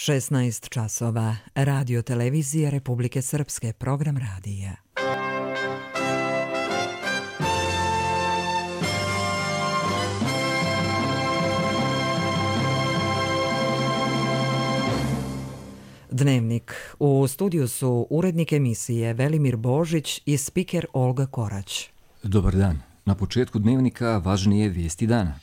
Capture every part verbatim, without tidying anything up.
šesnaest časova. Radio televizije Republike Srpske, program radija. Dnevnik. U studiju su urednik emisije Velimir Božić i spiker Olga Korać. Dobar dan. Na početku dnevnika važnije vijesti dana.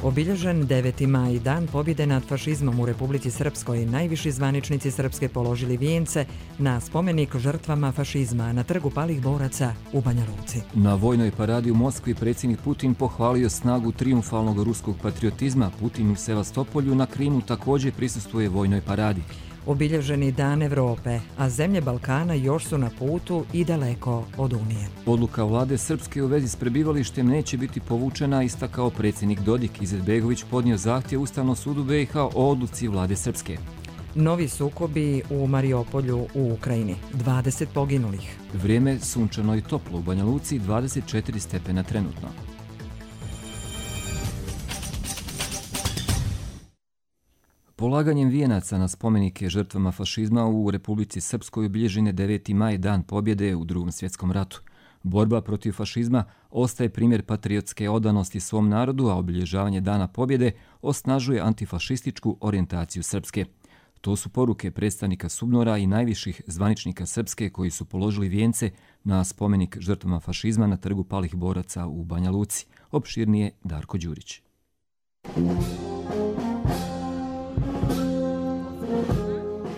Obilježen deveti maj, dan pobjede nad fašizmom u Republici Srpskoj, najviši zvaničnici Srpske položili vijence na spomenik žrtvama fašizma na trgu palih boraca u Banja Luci. Na vojnoj paradi u Moskvi predsjednik Putin pohvalio snagu trijumfalnog ruskog patriotizma. Putin u Sevastopolju na Krimu također prisustvuje vojnoj paradi. Obilježeni dan Evrope, a zemlje Balkana još su na putu i daleko od Unije. Odluka vlade Srpske u vezi s prebivalištem neće biti povučena, istakao predsjednik Dodik. Izetbegović podnio zahtjev Ustavnom sudu B i H o odluci vlade Srpske. Novi sukobi u Mariupolju u Ukrajini. dvadeset poginulih. Vrijeme sunčano i toplo u Banja Luci, dvadeset četiri stepena trenutno. Polaganjem vijenaca na spomenike žrtvama fašizma u Republici Srpskoj obilježen je deveti maj, dan pobjede u Drugom svjetskom ratu. Borba protiv fašizma ostaje primjer patriotske odanosti svom narodu, a obilježavanje dana pobjede osnažuje antifašističku orijentaciju Srpske. To su poruke predstavnika SUBNOR-a i najviših zvaničnika Srpske koji su položili vijence na spomenik žrtvama fašizma na trgu palih boraca u Banja Luci. Opširnije Darko Đurić.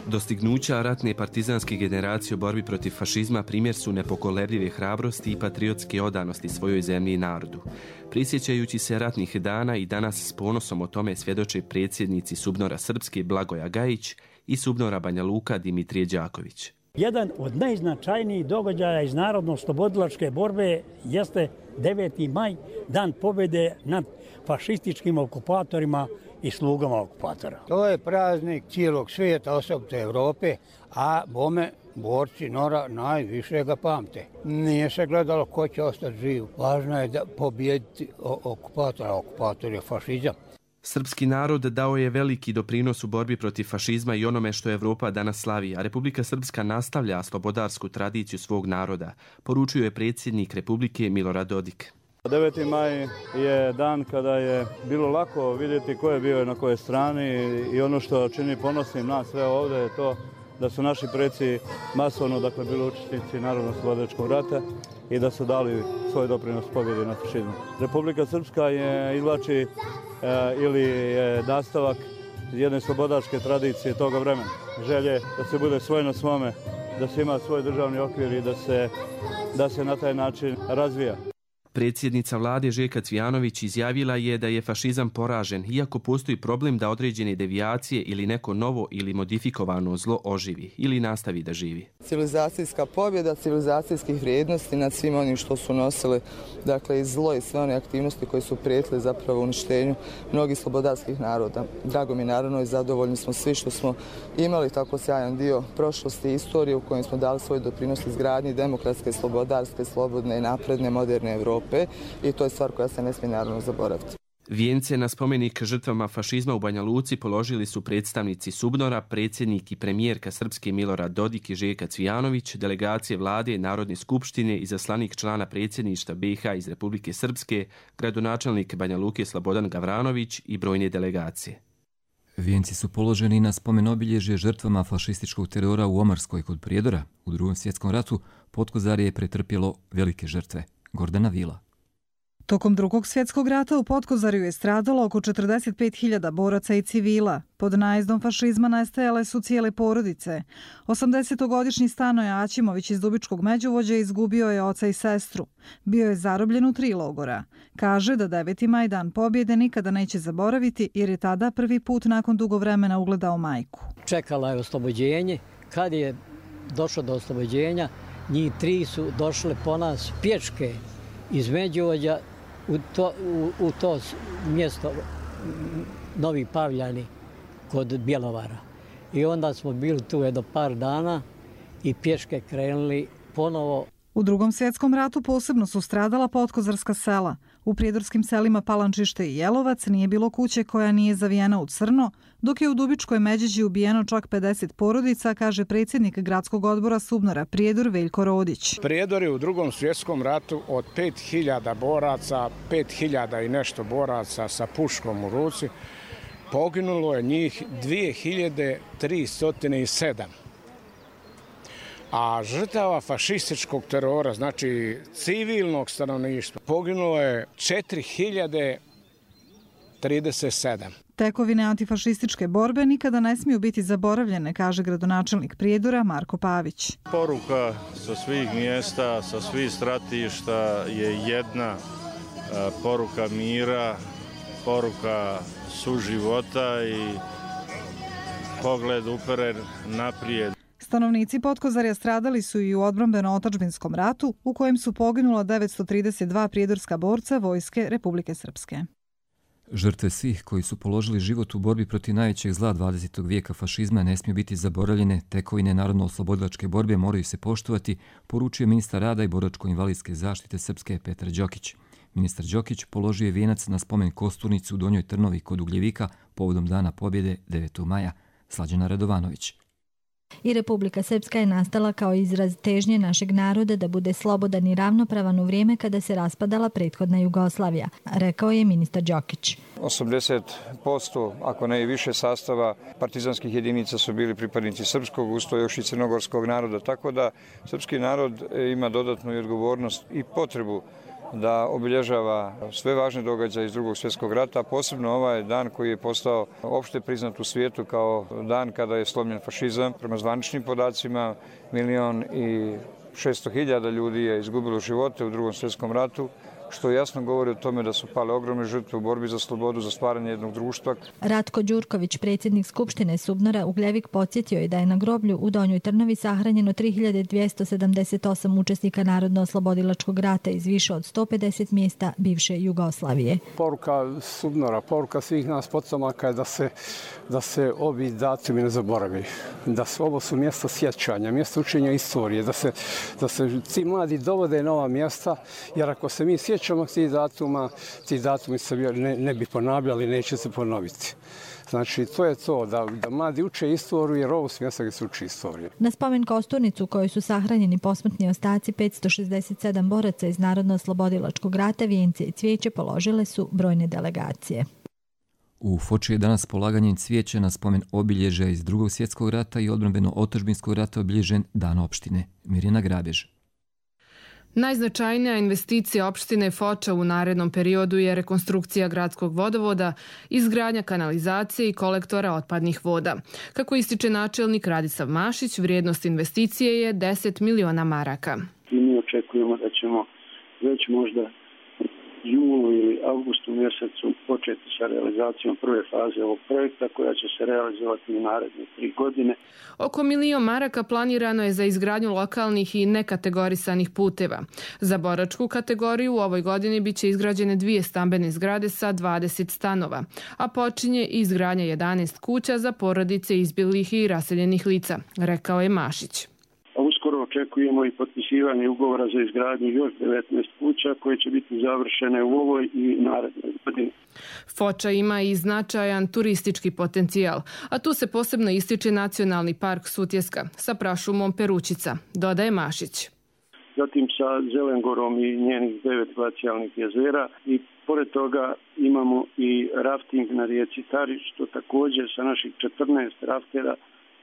Dostignuća ratne partizanske generacije u borbi protiv fašizma primjer su nepokolebljive hrabrosti i patriotske odanosti svojoj zemlji i narodu. Prisjećajući se ratnih dana i danas s ponosom o tome svjedoče predsjednici SUBNOR-a Srpske Blagoja Gajić i SUBNOR-a Banja Luka Dimitrije Đaković. Jedan od najznačajnijih događaja iz narodno-oslobodilačke borbe jeste deveti maj, dan pobjede nad fašističkim okupatorima i slugama okupatora. To je praznik cijelog svijeta, osobito Evrope, a bome borci Nora najviše ga pamte. Nije se gledalo ko će ostati živ. Važno je da pobjediti okupatora, okupator je fašizam. Srpski narod dao je veliki doprinos u borbi protiv fašizma i onome što Evropa danas slavi, a Republika Srpska nastavlja slobodarsku tradiciju svog naroda, poručio je predsjednik Republike Milorad Dodik. deveti maj je dan kada je bilo lako vidjeti ko je bio na kojoj strani i ono što čini ponosnim nas sve ovdje je to da su naši preci masovno dakle, bili učesnici Narodno-oslobodilačkog rata i da su dali svoj doprinos pobjedi nad fašizmom. Republika Srpska je izvlači e, ili je nastavak jedne slobodačke tradicije toga vremena. Želje da se bude svoj na svome, da se ima svoj državni okvir i da se, da se na taj način razvija. Predsjednica vlade Željka Cvijanović izjavila je da je fašizam poražen, iako postoji problem da određene devijacije ili neko novo ili modifikovano zlo oživi ili nastavi da živi. Civilizacijska pobjeda, civilizacijskih vrijednosti nad svim onim što su nosili, dakle i zlo i sve one aktivnosti koje su prijetile zapravo uništenju mnogih slobodarskih naroda. Drago mi naravno i zadovoljni smo svi što smo imali tako sjajan dio prošlosti i istorije u kojem smo dali svoj doprinos izgradnji demokratske, slobodarske, slobodne i napredne moderne Evrope. I to je stvar koja se ne smije naravno zaboraviti. Vijence na spomenik žrtvama fašizma u Banja Luci položili su predstavnici SUBNOR-a, predsjednik i premijerka Srpske Milorad Dodik i Željka Cvijanović, delegacije vlade, Narodne skupštine, izaslanik člana predsjedništva B i H iz Republike Srpske, gradonačelnik Banja Luke Slobodan Gavranović i brojne delegacije. Vijenci su položeni na spomen obilježje žrtvama fašističkog terora u Omarskoj kod Prijedora. U Drugom svjetskom ratu Potkozarje je pretrpjelo velike žrtve. Gordana Vila. Tokom Drugog svjetskog rata u Potkozarju je stradalo oko četrdeset pet hiljada boraca i civila. Pod najezdom fašizma nestajale su cijele porodice. osamdesetogodišnji Stanoje Aćimović iz Dubičkog Međuvođa izgubio je oca i sestru. Bio je zarobljen u tri logora. Kaže da deveti maj, dan pobjede, nikada neće zaboraviti jer je tada prvi put nakon dugo vremena ugledao majku. Čekala je oslobođenje. Kad je došlo do oslobođenja, njih tri su došle po nas pječke iz Međuvođa u to, u, u to mjesto Novi Pavljani kod Bjelovara. I onda smo bili tu jedno par dana i pješke krenuli ponovo U Drugom svjetskom ratu posebno su stradala potkozarska sela. U prijedorskim selima Palančište i Jelovac nije bilo kuće koja nije zavijena u crno, dok je u Dubičkoj Međeđi ubijeno čak pedeset porodica, kaže predsjednik gradskog odbora Subnora Prijedor Veljko Rodić. Prijedor je u Drugom svjetskom ratu od pet hiljada boraca, pet hiljada i nešto boraca sa puškom u ruci, poginulo je njih dvije hiljade tristo sedam. A žrtava fašističkog terora, znači civilnog stanovništva, poginulo je četiri hiljade trideset sedam. Tekovine antifašističke borbe nikada ne smiju biti zaboravljene, kaže gradonačelnik Prijedora Marko Pavić. Poruka sa svih mjesta, sa svih stratišta je jedna poruka mira, poruka suživota i pogled uperen naprijed. Stanovnici Potkozarja stradali su i u odbrambeno-otadžbinskom ratu, u kojem su poginula devetsto trideset dva prijedorska borca Vojske Republike Srpske. Žrtve svih koji su položili život u borbi protiv najvećeg zla dvadesetog vijeka fašizma ne smiju biti zaboravljene, tekovine narodno-oslobodilačke borbe moraju se poštovati, poručuje ministar rada i boračko-invalidske zaštite Srpske Petar Đokić. Ministar Đokić položio je vijenac na spomen kosturnici u Donjoj Trnovi kod Ugljevika povodom Dana pobjede devetog maja. Slađana Radovanović. I Republika Srpska je nastala kao izraz težnje našeg naroda da bude slobodan i ravnopravan u vrijeme kada se raspadala prethodna Jugoslavija, rekao je ministar Đokić. osamdeset posto, ako ne i više sastava partizanskih jedinica su bili pripadnici srpskog, uz to još i crnogorskog naroda, tako da srpski narod ima dodatnu odgovornost i potrebu da obilježava sve važne događaje iz Drugog svjetskog rata, posebno ovaj dan koji je postao opšte priznat u svijetu kao dan kada je slomljen fašizam. Prema zvaničnim podacima, milion i šesto hiljada ljudi je izgubilo živote u Drugom svjetskom ratu, što jasno govori o tome da su pale ogromne žrtve u borbi za slobodu, za stvaranje jednog društva. Ratko Đurković, predsjednik Skupštine Subnora Ugljevik, podsjetio je da je na groblju u Donjoj Trnovi sahranjeno tri hiljade dvjesto sedamdeset osam učesnika Narodno-oslobodilačkog rata iz više od sto pedeset mjesta bivše Jugoslavije. Poruka Subnora, poruka svih nas potomaka je da se, da se ovi datumi ne zaboravi. Da su, ovo su mjesta sjećanja, mjesta učenja istorije, da se, da se ti mladi dovode na ova mjesta, jer ako se mi sjećamo tih datuma, ti datumi se ne, ne bi ponavljali, neće se ponoviti. Znači, to je to, da, da mladi uče istoriju, jer ovo su mjesta gdje se uči istoriju. Na spomen kosturnicu u kojoj su sahranjeni posmrtni ostaci petsto šezdeset sedam boraca iz Narodno-oslobodilačkog rata, vijence i cvijeće položile su brojne delegacije. U Foči je danas polaganjem cvijeća na spomen obilježja iz Drugog svjetskog rata i odbrambeno-otadžbinskog rata obilježen Dan opštine. Mirjana Grabež. Najznačajnija investicija opštine Foča u narednom periodu je rekonstrukcija gradskog vodovoda, izgradnja kanalizacije i kolektora otpadnih voda. Kako ističe načelnik Radisav Mašić, vrijednost investicije je deset miliona maraka. I mi očekujemo da ćemo već možda julu ili avgustu mjesecu početi sa realizacijom prve faze ovog projekta koja će se realizovati u naredne tri godine. Oko milion maraka planirano je za izgradnju lokalnih i nekategorisanih puteva. Za boračku kategoriju u ovoj godini biće izgrađene dvije stambene zgrade sa dvadeset stanova, a počinje izgradnja jedanaest kuća za porodice izbjeglih i raseljenih lica, rekao je Mašić. Uskoro očekujemo i potpisivanje ugovora za izgradnju još devetnaest kuća koje će biti završene u ovoj i narednoj godini. Foča ima i značajan turistički potencijal, a tu se posebno ističe Nacionalni park Sutjeska sa prašumom Peručica, dodaje Mašić. Zatim sa Zelengorom i njenih devet glacijalnih jezera i pored toga imamo i rafting na rijeci Tari, što također sa naših četrnaest raftera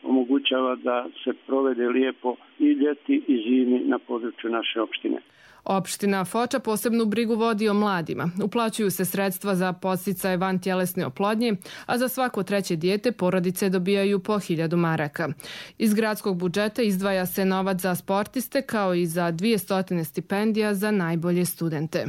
omogućava da se provede lijepo i ljeti i zimi na području naše opštine. Opština Foča posebnu brigu vodi o mladima. Uplaćuju se sredstva za podsticaje vantjelesne oplodnje, a za svako treće dijete porodice dobijaju po hiljadu maraka. Iz gradskog budžeta izdvaja se novac za sportiste kao i za dvjesto stipendija za najbolje studente.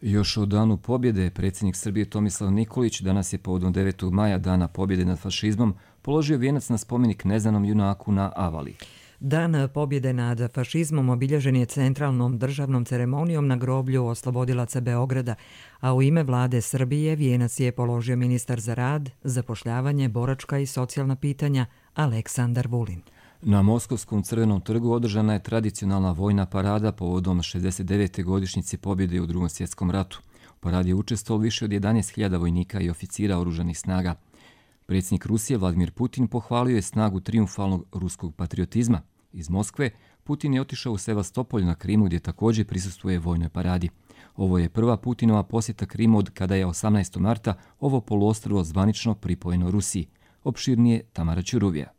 Još o danu pobjede predsjednik Srbije Tomislav Nikolić danas je povodom devetog maja, Dana pobjede nad fašizmom, položio vijenac na spomenik neznanom junaku na Avali. Dan pobjede nad fašizmom obilježen je centralnom državnom ceremonijom na groblju oslobodilaca Beograda, a u ime vlade Srbije vijenac je položio ministar za rad, zapošljavanje, boračka i socijalna pitanja Aleksandar Vulin. Na Moskovskom crvenom trgu održana je tradicionalna vojna parada povodom šezdeset devete godišnjice pobjede u Drugom svjetskom ratu. U paradi je učestvovalo više od jedanaest hiljada vojnika i oficira oružanih snaga. Predsjednik Rusije Vladimir Putin pohvalio je snagu trijumfalnog ruskog patriotizma. Iz Moskve Putin je otišao u Sevastopolj na Krimu gdje također prisustvuje vojnoj paradi. Ovo je prva Putinova posjeta Krimu od kada je osamnaestog marta ovo poluostrvo zvanično pripojeno Rusiji. Opširnije Tamara Ćuruvija.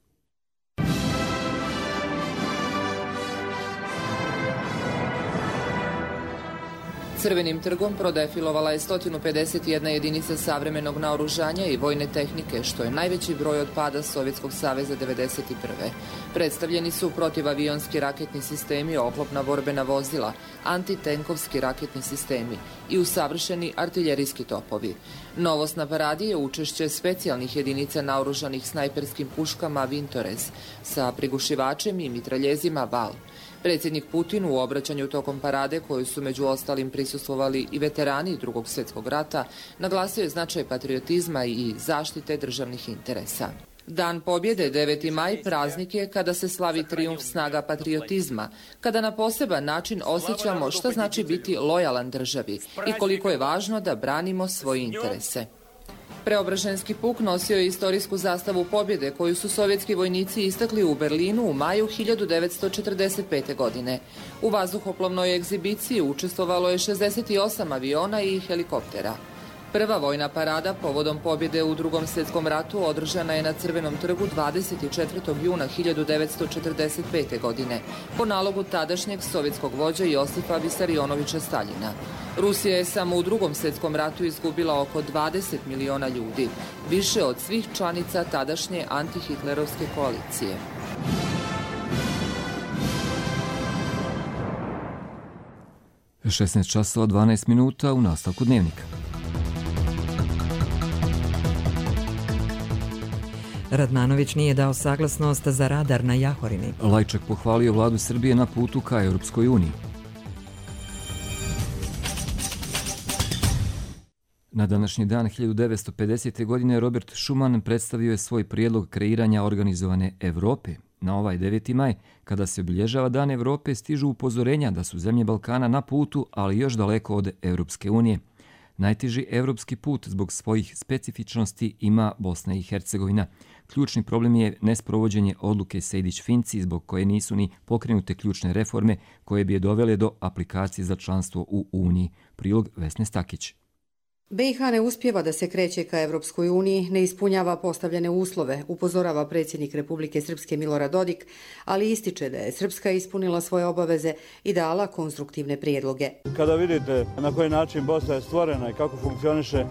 Crvenim trgom prodefilovala je sto pedeset jedna jedinica savremenog naoružanja i vojne tehnike, što je najveći broj od pada Sovjetskog saveza devedeset prve. Predstavljeni su protivavionski raketni sistemi, oklopna borbena vozila, antitenkovski raketni sistemi i usavršeni artiljerijski topovi. Novost na paradi je učešće specijalnih jedinica naoružanih snajperskim puškama Vintorez sa prigušivačem i mitraljezima Val. Predsjednik Putin u obraćanju tokom parade, koju su među ostalim prisustvovali i veterani Drugog svjetskog rata, naglasio je značaj patriotizma i zaštite državnih interesa. Dan pobjede, deveti maj, praznik je kada se slavi trijumf snaga patriotizma, kada na poseban način osjećamo šta znači biti lojalan državi i koliko je važno da branimo svoje interese. Preobraženski puk nosio je istorijsku zastavu pobjede koju su sovjetski vojnici istakli u Berlinu u maju hiljadu devetsto četrdeset pete. godine. U vazduhoplovnoj egzibiciji učestvovalo je šezdeset osam aviona i helikoptera. Prva vojna parada povodom pobjede u Drugom svjetskom ratu održana je na Crvenom trgu dvadeset četvrtog juna hiljadu devetsto četrdeset pete. godine po nalogu tadašnjeg sovjetskog vođa Josipa Visarionovića Staljina. Rusija je samo u Drugom svjetskom ratu izgubila oko dvadeset miliona ljudi, više od svih članica tadašnje antihitlerovske koalicije. šesnaest časova dvanaest minuta u nastavku dnevnika. Radmanović nije dao saglasnost za radar na Jahorini. Lajčak pohvalio vladu Srbije na putu ka Europskoj uniji. Na današnji dan hiljadu devetsto pedesete. godine Robert Schuman predstavio je svoj prijedlog kreiranja organizovane Evrope. Na ovaj deveti maj, kada se obilježava Dan Evrope, stižu upozorenja da su zemlje Balkana na putu, ali još daleko od Europske unije. Najteži evropski put zbog svojih specifičnosti ima Bosna i Hercegovina. Ključni problem je nesprovođenje odluke Sejdić-Finci, zbog koje nisu ni pokrenute ključne reforme koje bi je dovele do aplikacije za članstvo u Uniji. Prilog Vesne Stakić. be i ha ne uspijeva da se kreće ka Evropskoj uniji, ne ispunjava postavljene uslove, upozorava predsjednik Republike Srpske Milorad Dodik, ali ističe da je Srpska ispunila svoje obaveze i dala konstruktivne prijedloge. Kada vidite na koji način Bosna je stvorena i kako funkcioniše,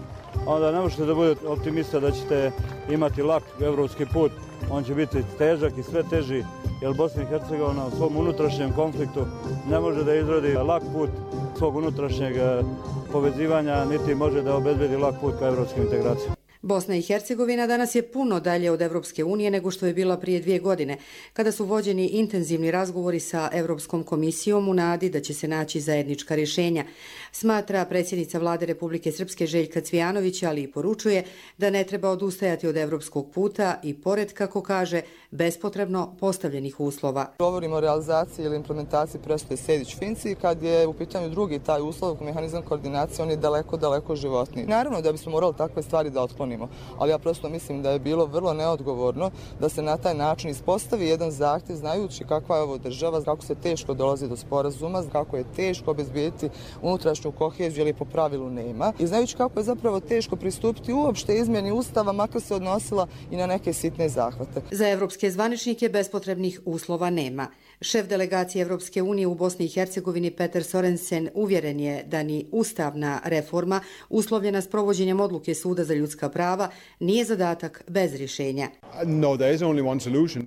onda ne možete da budete optimista da ćete imati lak evropski put. On će biti težak i sve teži, jer Bosna i Hercegovina u svom unutrašnjem konfliktu ne može da izrodi lak put svog unutrašnjeg povezivanja, niti može da obezbedi lak put ka evropskim integracijama. Bosna i Hercegovina danas je puno dalje od Evropske unije nego što je bila prije dvije godine, kada su vođeni intenzivni razgovori sa Evropskom komisijom u nadi da će se naći zajednička rješenja. Smatra predsjednica vlade Republike Srpske Željka Cvijanović, ali i poručuje da ne treba odustajati od evropskog puta i pored, kako kaže, bespotrebno postavljenih uslova. Govorimo o realizaciji ili implementaciji presude Sejdić-Finci, kad je u pitanju drugi taj uslov, mehanizam koordinacije, on je daleko, daleko životniji. Naravno da bismo morali takve stvari da otklonimo, ali ja prosto mislim da je bilo vrlo neodgovorno da se na taj način ispostavi jedan zahtjev, znajući kakva je ovo država, kako se teško dolazi do sporazuma, kako je teško obezbijediti unutrašnju koheziju ili po pravilu nema, i znajući kako je zapravo teško pristupiti uopšte izmjeni Ustava, makar se odnosila i na neke sitne zahvate. Za evropske zvaničnike bespotrebnih uslova nema. Šef delegacije Evropske unije u Bosni i Hercegovini Peter Sorensen uvjeren je da ni ustavna reforma, uslovljena s provođenjem odluke Suda za ljudska prava, nije zadatak bez rješenja.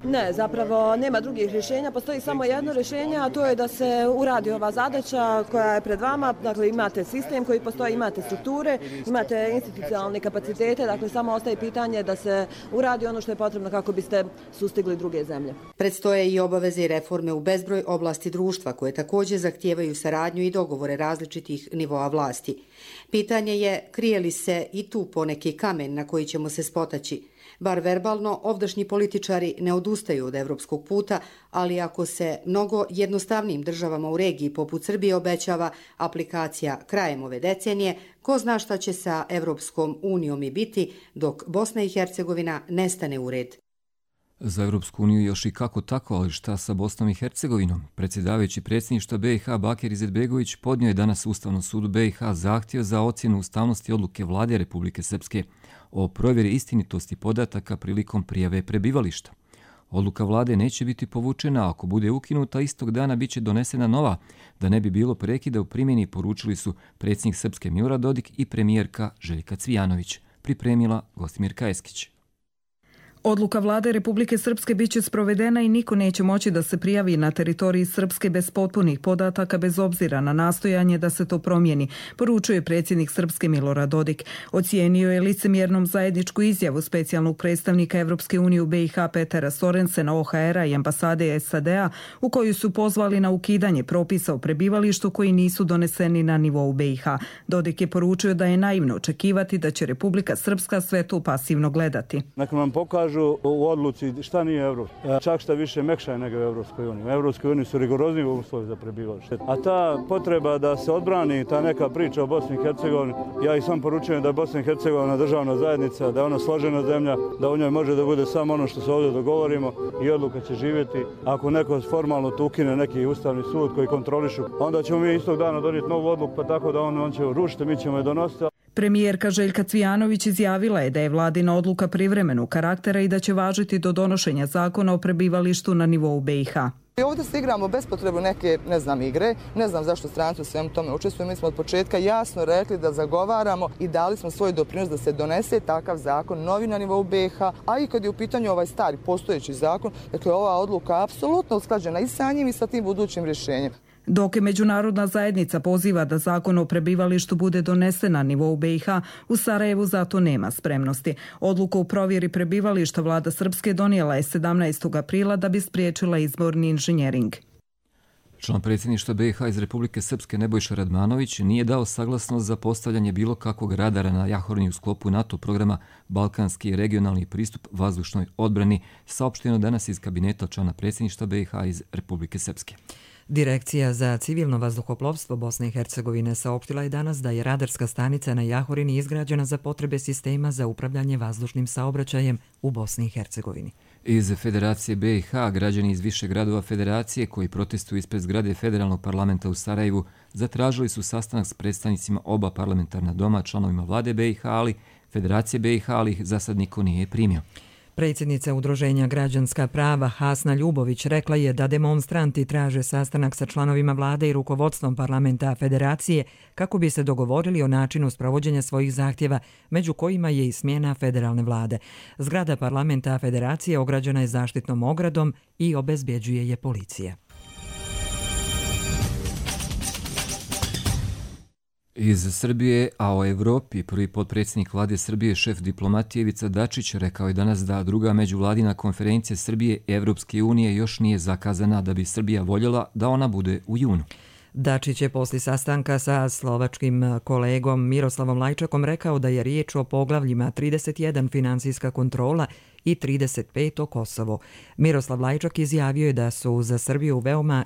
Ne, zapravo nema drugih rješenja, postoji samo jedno rješenje, a to je da se uradi ova zadaća koja je pred vama. Dakle, imate sistem koji postoji, imate strukture, imate institucionalne kapacitete, dakle samo ostaje pitanje da se uradi ono što je potrebno kako biste sustigli druge zemlje. Predstoje i obaveze i reforme reforme u bezbroj oblasti društva koje također zahtijevaju saradnju i dogovore različitih nivoa vlasti. Pitanje je krije li se i tu poneki kamen na koji ćemo se spotaći. Bar verbalno, ovdašnji političari ne odustaju od evropskog puta, ali ako se mnogo jednostavnijim državama u regiji poput Srbije obećava aplikacija krajem ove decenije, ko zna šta će sa Evropskom unijom i biti dok Bosna i Hercegovina nestane u red. Za Evropsku uniju još i kako tako, ali šta sa Bosnom i Hercegovinom? Predsjedavajući predsjedništva B i H Bakir Izetbegović podnio je danas Ustavnom sudu B i H zahtjev za ocjenu ustavnosti odluke vlade Republike Srpske o provjeri istinitosti podataka prilikom prijave prebivališta. Odluka vlade neće biti povučena, ako bude ukinuta, istog dana biće donesena nova, da ne bi bilo prekida u primjeni, poručili su predsjednik Srpske Milorad Dodik i premijerka Željka Cvijanović. Pripremila Gostimirka Eskić. Odluka vlade Republike Srpske biće sprovedena i niko neće moći da se prijavi na teritoriji Srpske bez potpunih podataka bez obzira na nastojanje da se to promijeni, poručuje predsjednik Srpske Milorad Dodik. Ocijenio je licemjernom zajedničku izjavu specijalnog predstavnika Evropske unije u B i H Petera Sorensena, O H R-a i ambasade S A D-a u koju su pozvali na ukidanje propisa o prebivalištu koji nisu doneseni na nivou B i H. Dodik je poručio da je naivno očekivati da će Republika Srpska sve to pasivno gledati. Neka nam pokažu u odluci šta nije Evropska. Čak šta više mekša je nego u Evropskoj uniji. U Evropskoj uniji su rigorozniji uslovi za prebivalište. A ta potreba da se odbrani ta neka priča o Bosni i Hercegovini, ja i sam poručujem da je Bosna i Hercegovina državna zajednica, da je ona složena zemlja, da u njoj može da bude samo ono što se ovdje dogovorimo i odluka će živjeti. Ako neko formalno tu ukine neki ustavni sud koji kontrolišu, onda ćemo mi istog dana donijeti novu odluku, pa tako da on, on će rušiti, mi ćemo je donositi. Premijerka Željka Cvijanović izjavila je da je vladina odluka privremenog karaktera i da će važiti do donošenja zakona o prebivalištu na nivou B i H. Ovdje se igramo bez potrebe neke, ne znam, igre, ne znam zašto stranci u svemu tome učestvuju. Mi smo od početka jasno rekli da zagovaramo i dali smo svoj doprinos da se donese takav zakon novi na nivou B i H, a i kad je u pitanju ovaj stari postojeći zakon, dakle ova odluka apsolutno usklađena i sa njim i sa tim budućim rješenjem. Dok je međunarodna zajednica poziva da zakon o prebivalištu bude donesen na nivou B i H, u Sarajevu zato nema spremnosti. Odluku o provjeri prebivališta vlada Srpske donijela je sedamnaestog aprila da bi spriječila izborni inženjering. Član predsjedništva B i H iz Republike Srpske Nebojša Radmanović nije dao saglasnost za postavljanje bilo kakvog radara na Jahorni u sklopu NATO programa Balkanski regionalni pristup vazdušnoj odbrani, saopšteno danas iz kabineta člana predsjedništva B i H iz Republike Srpske. Direkcija za civilno vazduhoplovstvo Bosne i Hercegovine saopštila je danas da je radarska stanica na Jahorini izgrađena za potrebe sistema za upravljanje vazdušnim saobraćajem u Bosni i Hercegovini. Iz Federacije B i H građani iz više gradova Federacije koji protestuju ispred zgrade Federalnog parlamenta u Sarajevu zatražili su sastanak s predstavnicima oba parlamentarna doma, članovima vlade B i H, ali Federacije B i H, ali ih za sad niko nije primio. Predsjednica Udruženja Građanska prava Hasna Ljubović rekla je da demonstranti traže sastanak sa članovima vlade i rukovodstvom parlamenta Federacije kako bi se dogovorili o načinu sprovođenja svojih zahtjeva, među kojima je i smjena federalne vlade. Zgrada parlamenta Federacije ograđena je zaštitnom ogradom i obezbjeđuje je policija. Iz Srbije, a o Evropi, prvi potpredsjednik vlade Srbije, šef diplomatije Ivica Dačić, rekao je danas da druga međuvladina konferencija Srbije i Evropske unije još nije zakazana, da bi Srbija voljela da ona bude u junu. Dačić je poslije sastanka sa slovačkim kolegom Miroslavom Lajčakom rekao da je riječ o poglavljima trideset jedan finansijska kontrola i trideset pet o Kosovo. Miroslav Lajčak izjavio je da su za Srbiju veoma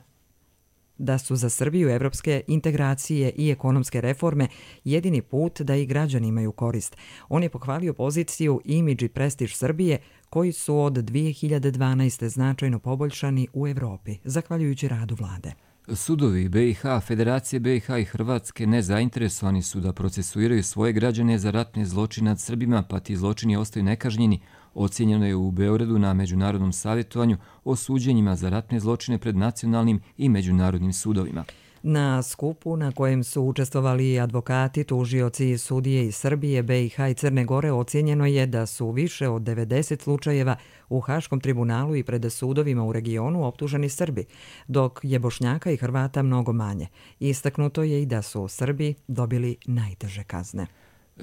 da su za Srbiju evropske integracije i ekonomske reforme jedini put da i građani imaju korist. On je pohvalio poziciju, imidž i prestiž Srbije koji su od dvije hiljade dvanaeste. značajno poboljšani u Evropi, zahvaljujući radu vlade. Sudovi B i H, Federacije B i H i Hrvatske nezainteresovani su da procesuiraju svoje građane za ratne zločine nad Srbima, pa ti zločini ostaju nekažnjeni. Ocijenjeno je u Beogradu na Međunarodnom savjetovanju o suđenjima za ratne zločine pred nacionalnim i međunarodnim sudovima. Na skupu na kojem su učestvovali advokati, tužioci i sudije iz Srbije, B i H i Crne Gore ocijenjeno je da su više od devedeset slučajeva u Haškom tribunalu i pred sudovima u regionu optuženi Srbi, dok je Bošnjaka i Hrvata mnogo manje. Istaknuto je i da su Srbi dobili najteže kazne.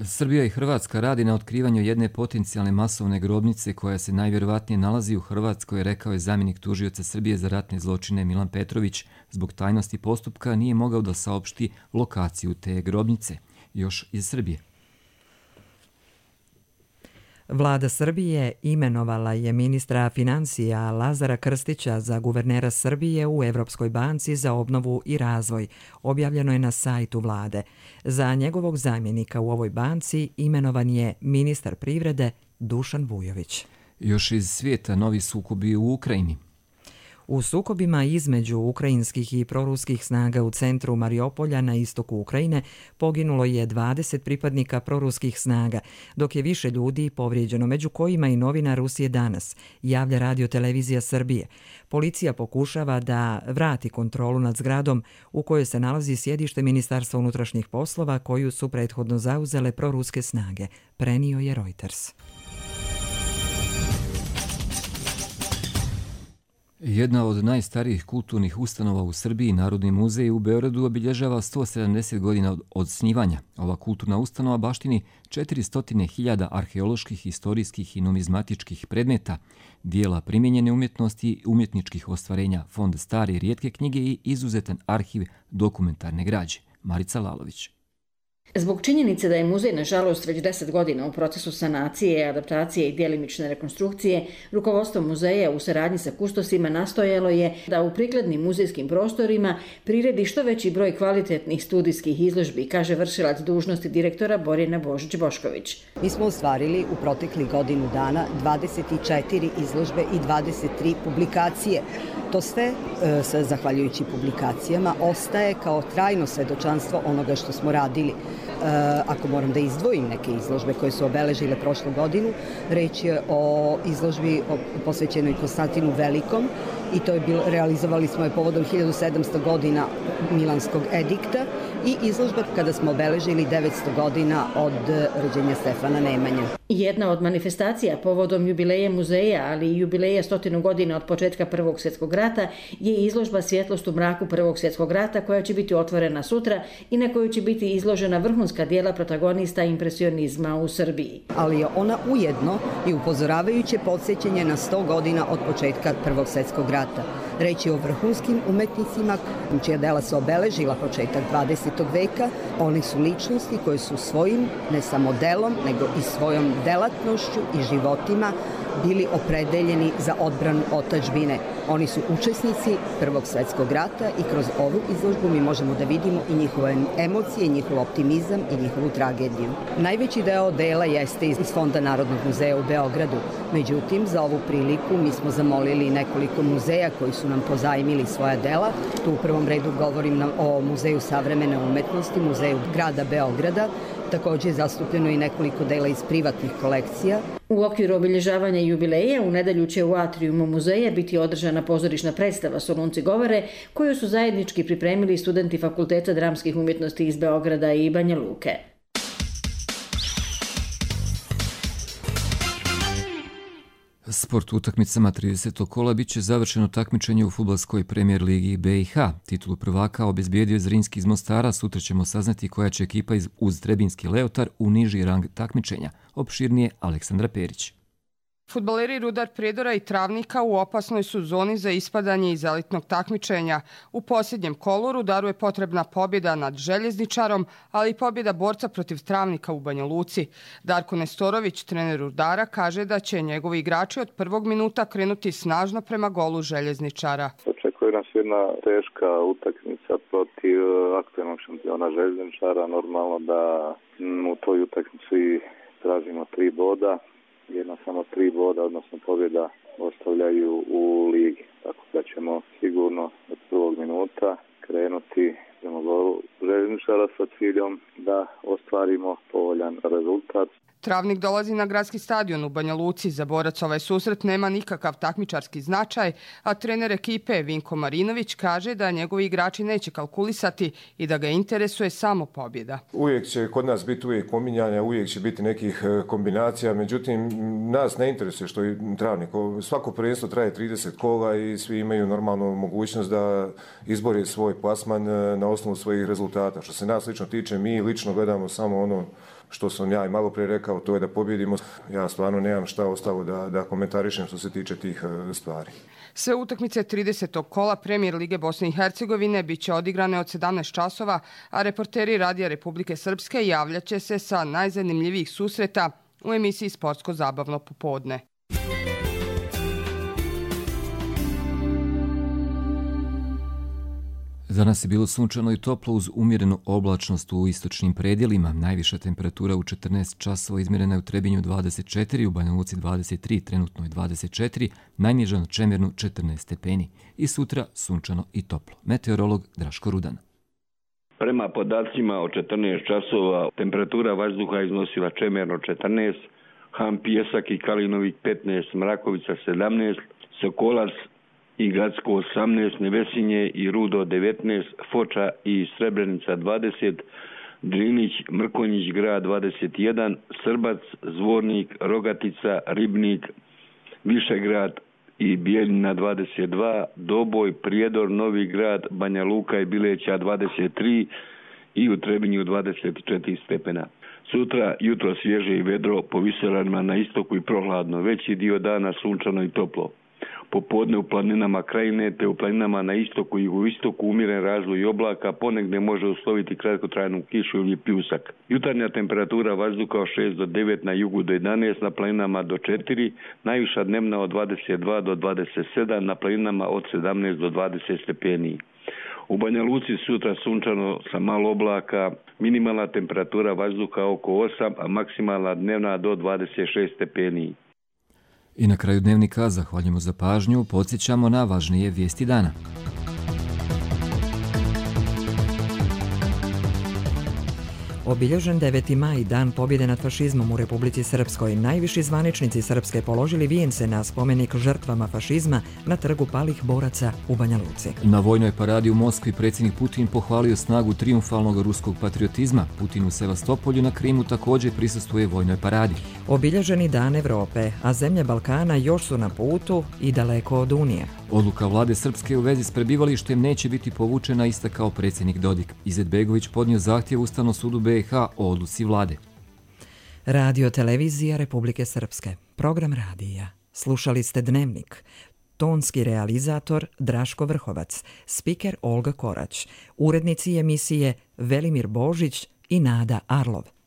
Srbija i Hrvatska radi na otkrivanju jedne potencijalne masovne grobnice koja se najvjerovatnije nalazi u Hrvatskoj, rekao je zamjenik tužioca Srbije za ratne zločine Milan Petrović. Zbog tajnosti postupka nije mogao da saopšti lokaciju te grobnice. Još iz Srbije. Vlada Srbije imenovala je ministra financija Lazara Krstića za guvernera Srbije u Evropskoj banci za obnovu i razvoj. Objavljeno je na sajtu vlade. Za njegovog zamjenika u ovoj banci imenovan je ministar privrede Dušan Vujović. Još iz svijeta novi sukobi u Ukrajini. U sukobima između ukrajinskih i proruskih snaga u centru Mariupolja na istoku Ukrajine poginulo je dvadeset pripadnika proruskih snaga, dok je više ljudi povrijeđeno, među kojima i novinar Rusije danas, javlja Radio Televizija Srbije. Policija pokušava da vrati kontrolu nad zgradom u kojoj se nalazi sjedište Ministarstva unutrašnjih poslova koju su prethodno zauzele proruske snage, prenio je Reuters. Jedna od najstarijih kulturnih ustanova u Srbiji, Narodni muzej u Beogradu, obilježava sto sedamdeset godina od osnivanja. Ova kulturna ustanova baštini četiristo hiljada arheoloških, historijskih i numizmatičkih predmeta, dijela primijenjene umjetnosti, umjetničkih ostvarenja, fond stare i rijetke knjige i izuzetan arhiv dokumentarne građe. Marica Lalović. Zbog činjenice da je muzej, nažalost, već deset godina u procesu sanacije, adaptacije i djelimične rekonstrukcije, rukovodstvo muzeja u saradnji sa kustosima nastojalo je da u prikladnim muzejskim prostorima priredi što veći broj kvalitetnih studijskih izložbi, kaže vršilac dužnosti direktora Borjana Božić-Bošković. Mi smo ostvarili u proteklih godinu dana dvadeset četiri izložbe i dvadeset tri publikacije. To sve, e, zahvaljujući publikacijama, ostaje kao trajno svedočanstvo onoga što smo radili. Ako moram da izdvojim neke izložbe koje su obeležile prošlu godinu, reč je o izložbi posvećenoj Konstantinu Velikom i to je bilo, realizovali smo je povodom hiljadu sedamsto godina Milanskog edikta i izložba kada smo obeležili devetsto godina od rođenja Stefana Nemanje. Jedna od manifestacija povodom jubileja muzeja, ali i jubileja stotinu godina od početka Prvog svjetskog rata je izložba Svjetlost u mraku Prvog svjetskog rata koja će biti otvorena sutra i na kojoj će biti izložena vrhunska dijela protagonista impresionizma u Srbiji. Ali je ona ujedno i upozoravajuće podsjećanje na sto godina od početka Prvog svjetskog rata. Reč je o vrhunskim umetnicima čija dela su obeležila početak dvadesetog veka. Oni su ličnosti koje su svojim, ne samo delom, nego i svojom delatnošću i životima bili opredeljeni za odbranu otadžbine. Oni su učesnici Prvog svjetskog rata i kroz ovu izložbu mi možemo da vidimo i njihove emocije, njihov optimizam i njihovu tragediju. Najveći deo dela jeste iz Fonda Narodnog muzeja u Beogradu. Međutim, za ovu priliku mi smo zamolili nekoliko muzeja koji su nam pozajmili svoja dela. Tu u prvom redu govorim o Muzeju savremene umetnosti, Muzeju grada Beograda. Također je zastupljeno i nekoliko dela iz privatnih kolekcija. U okviru obilježavanja jubileja u nedelju će u atrijumu muzeja biti održana pozorišna predstava Solunci govore, koju su zajednički pripremili studenti Fakulteta dramskih umjetnosti iz Beograda i Banja Luke. Sport utakmicama tridesetog kola bit će završeno takmičenje u fudbalskoj premijer ligi B i H. Titulu prvaka obezbijedio je Zrinski iz Mostara. Sutra ćemo saznati koja će ekipa uz Trebinski Leotar u niži rang takmičenja. Opširnije Aleksandra Perić. Fudbaleri Rudar Prijedora i Travnika u opasnoj su zoni za ispadanje iz elitnog takmičenja. U posljednjem kolu Rudaru je potrebna pobjeda nad Željezničarom, ali i pobjeda borca protiv Travnika u Banja Luci. Darko Nestorović, trener Rudara, kaže da će njegovi igrači od prvog minuta krenuti snažno prema golu Željezničara. Očekuje nas jedna teška utakmica protiv aktualnog šampiona Željezničara. Normalno da u toj utakmici tražimo tri boda. Jedna samo tri boda, odnosno pobjeda, ostavljaju u ligi. Tako da ćemo sigurno od prvog minuta krenuti prema golu Željezničara sa ciljom da ostvarimo povoljan rezultat. Travnik dolazi na gradski stadion u Banja Luci. Za borac ovaj susret nema nikakav takmičarski značaj, a trener ekipe Vinko Marinović kaže da njegovi igrači neće kalkulisati i da ga interesuje samo pobjeda. Uvijek će kod nas biti uvijek pominjanja, uvijek će biti nekih kombinacija, međutim nas ne interesuje što je Travnik. Svako prvenstvo traje trideset kola i svi imaju normalnu mogućnost da izbore svoj plasman na osnovu svojih rezultata. Što se nas lično tiče, mi lično gledamo samo ono što sam ja i malo prije rekao, to je da pobjedimo. Ja stvarno nemam šta ostalo da, da komentarišem što se tiče tih stvari. Sve utakmice tridesetog kola Premijer Lige Bosne i Hercegovine bit će odigrane od sedamnaest časova, a reporteri Radija Republike Srpske javljaće se sa najzanimljivijih susreta u emisiji Sportsko-zabavno popodne. Za nas je bilo sunčano i toplo uz umjerenu oblačnost u istočnim predjelima. Najviša temperatura u četrnaest časova izmjerena je u Trebinju dvadeset četiri, u Banja Luci dvadeset tri, trenutno je dvadeset četiri, najniža na Čemernu četrnaest stepeni. I sutra sunčano i toplo. Meteorolog Draško Rudan. Prema podacima od četrnaest časova temperatura vazduha iznosila Čemerno četrnaest, Han Pijesak i Kalinovik petnaest, Mrakovica sedamnaest, Sokolac i Gacko osamnaest, Nevesinje i Rudo devetnaest, Foča i Srebrenica dvadeset, Drinić, Mrkonjić grad dvadeset jedan, Srbac, Zvornik, Rogatica, Ribnik, Višegrad i Bijeljina dvadeset dva, Doboj, Prijedor, Novi grad, Banja Luka i Bileća dvadeset tri i u Trebinju dvadeset četiri stepena. Sutra jutro svježe i vedro, po visoravnima na istoku i prohladno, veći dio dana sunčano i toplo. Popodne u planinama krajine te u planinama na istoku i jugoistoku umjeren razvoj oblaka, ponegdje može usloviti kratkotrajnu kišu ili pljusak. Jutarnja temperatura vazduha od šest do devet, na jugu do jedanaest, na planinama do četiri, najviša dnevna od dvadeset dva do dvadeset sedam, na planinama od sedamnaest do dvadeset stepeni. U Banja Luci sutra sunčano sa malo oblaka, minimalna temperatura vazduha oko osam, a maksimalna dnevna do dvadeset šest stepeni. I na kraju dnevnika zahvaljujemo za pažnju, podsjećamo na važnije vijesti dana. Obilježen deveti maj, dan pobjede nad fašizmom u Republici Srpskoj. Najviši zvaničnici Srpske položili vijence na spomenik žrtvama fašizma na trgu palih boraca u Banja Luci. Na vojnoj paradi u Moskvi predsjednik Putin pohvalio snagu trijumfalnog ruskog patriotizma. Putin u Sevastopolju na Krimu također prisustvuje vojnoj paradi. Obilježeni dan Evrope, a zemlje Balkana još su na putu i daleko od Unije. Odluka vlade Srpske u vezi s prebivalištem neće biti povučena, istakao predsjednik Dodik. Izetbegović podnio zahtjev Ustavnom sudu B i H o odluci vlade. Radio Televizija Republike Srpske. Program radija. Slušali ste Dnevnik. Tonski realizator Draško Vrhovac. Spiker Olga Korać. Urednici emisije Velimir Božić i Nada Arlov.